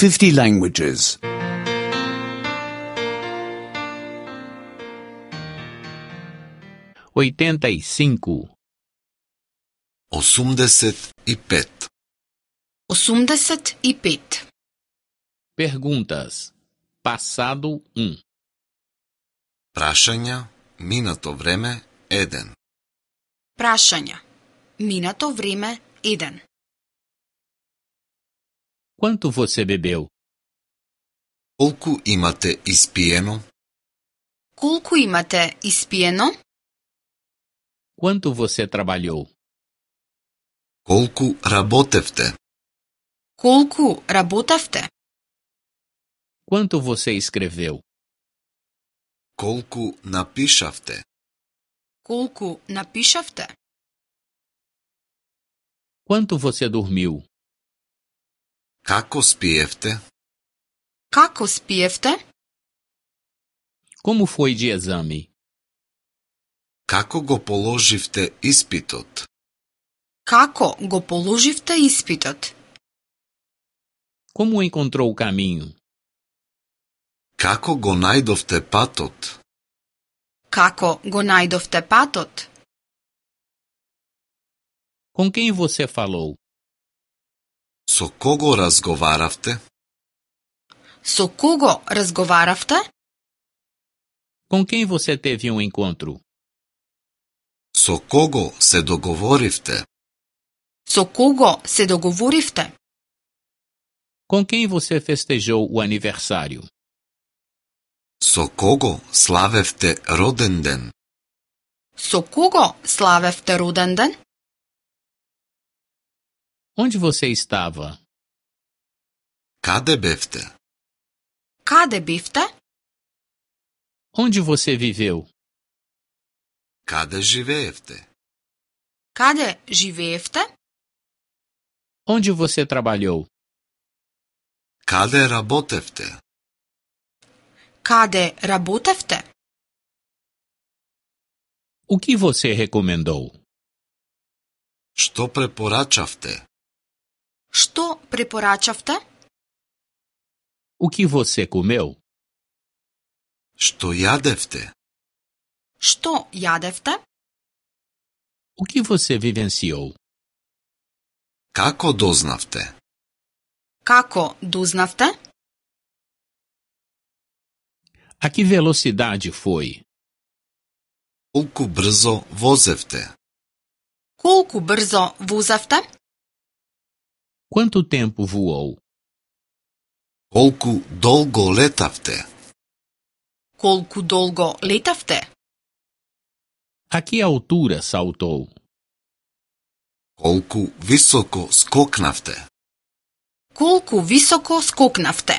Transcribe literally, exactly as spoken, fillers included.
fifty languages. oitenta e cinco. осумдесет и пет. осумдесет и пет. Perguntas. Passado um. Прашања, минато време, еден. Прашања. Минато време еден. Quanto você bebeu? Колку имате испиено? Колку имате испиено? Quanto você trabalhou? Колку работевте? Колку работевте? Quanto você escreveu? Колку напишавте? Колку напишавте? Quanto você dormiu? Како спиевте? Како спиевте? Como foi de exame? Како го положивте испитот? Како го положивте испитот? Como encontrou o caminho? Како го најдовте патот? Како го најдовте патот? Com quem você falou? Со кого разговаравте? Со кого разговаравте? Com quem você teve um encontro? Со кого се договоривте? Со кого се договоривте? Com quem você festejou o aniversário? Со кого славевте роден ден? Со кого славевте роден ден? Onde você estava? Каде бевте? Каде бевте? Onde você viveu? Каде живеевте? Каде живеевте? Onde você trabalhou? Каде работевте? Каде работевте? O que você recomendou? Што препорачавте? Што препорачавте? O que você comeu? Што јадевте? Што јадевте? O que você vivenciou? Како дознавте? Како дознавте? A que velocidade foi? Колку брзо возевте? Колку брзо возевте? Quanto tempo voou? Колку долго летавте? Колку долго летавте? A que altura saltou? Колку високо скокнавте? Колку високо скокнавте?